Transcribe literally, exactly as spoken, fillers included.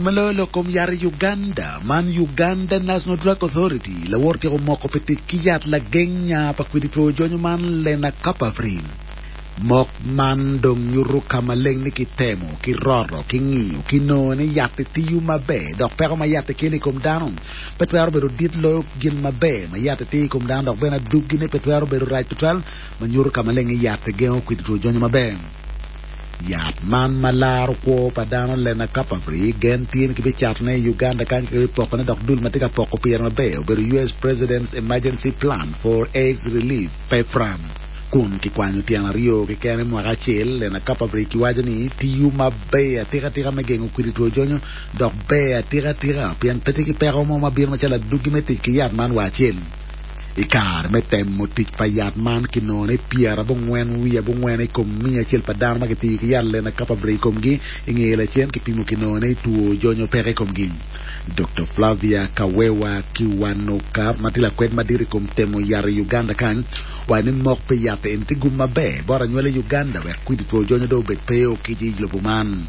ma loyo lok kom yat i Uganda man Uganda National Drug Authority lawor tyeko moko pi tic ki yat lageng nya pa kwidi two jonyo man Lenacapavir. Mok man dong nyuto ka maleng ni kitemo, kiroto, kingiyo, kinongo ni yat-ti tiyo maber dok peko ma yat-ti kelo i kom dano pe twero bedo dit loyo gin maber ma yat-ti tiyo i kom dano dok bene adugine pe twero bedo rac tutwal ma nyuto ka maleng ni yat-ti gengo kwidi two jonyo maber. Yat man ma laro kwo pa dano Lenacapavir gen tye ni kibicatone i Uganda kany ka kibipokone dok dul ma tye ka poko pire maber obedo US President's Emergency Plan for AIDS Relief PEPFAR. Kun kikwanyo tyen aryo keken i mwaka acel, Lenacapavir kiwaco ni tiyo maber atikatika me gengo kwidi two jonyo dok ber atikatika pien pe tye ki peko mo ma bino macalo adwogi me tic ki yat man wa acel. I kare me temo tic pa yat man kinongo ni pyerabongwen wiye abongwen i kom miya acel pa dano ma kitiyo ki yat Lenacapavir i komgi i nge lacen kipimo kinongo ni two jonyo peke i komgi. Dr. Flavia Kawewa Kiwanuka ma tye lakwed madit i kom temo yat i Uganda kany owaco ni mok pi yat eni tye gum maber bot anywali i Uganda wek kwidi two jonyo dong obed pe okic i lobo man.